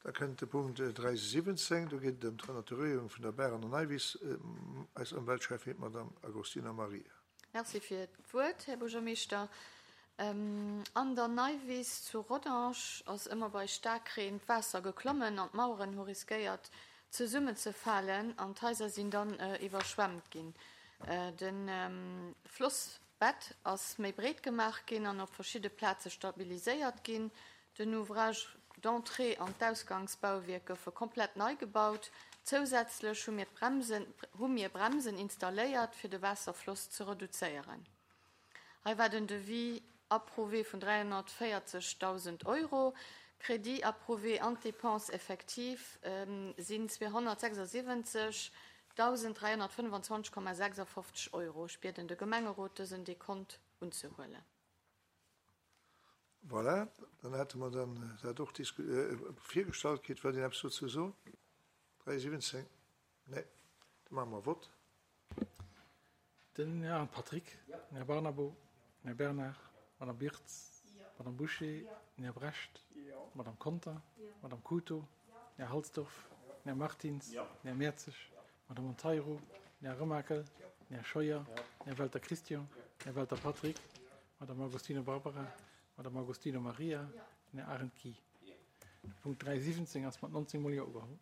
Da kënnt de Punkt 3.17, do geet et ëm d'Renaturéierung vun der Baach an der Neiwiss. Eis Ëmweltschäffin, d'Madame Agostino Maria. Merci fir d'Wuert, Här Buergermeeschter. An der Neiwiss zu Rodange ass ëmmer bei Staarkreen d'Waasser geklommen an d'Maueren hu riskéiert zesummenzefalen an d'Haiser sinn dann iwwerschwemmt ginn. De Flossbett ass méi breet gemaach ginn an op verschidde Plaze stabiliséiert ginn. Den Ouvrage d'entrée an d'Ausgangsbauwierk goufe komplett nei gebaut. Zousätzlech hu mir d'Bremsen hu mir Bremsen installéiert, fir de Waasserfloss ze reduzéieren. Hei war den Devis approuvé vun 340.000 Euro. Crédit approuvé an d'Dépenses effectives sinn 276.325,56 Euro. Ech bieden de Gemengerot, dësen Dekont unzehuelen. Voilà, dann hätte mer dann dat och virgestallt kritt. Wëllt een eppes dozou soen? 3,17? Nee, da maache mer Vott. Den Här Patrick, den Här Barnabo, den Här Bernard, d'Madame Birtz, d'Madame Bouché, den Här Brecht, d'Madame Conter, d'Madame Couto, den Här Halsdorf, den Här Martins, den Här Mertzig, d'Madame Monteiro, den Här Remakel, den Här Scheuer, den Här Welter Christian, den Här Welter Patrick, d'Madame Agostino Barbara, d'Madame Agostino Maria, den Här Arendt Guy. De Punkt 3.17 ass mat 19 mol Jo ugeholl.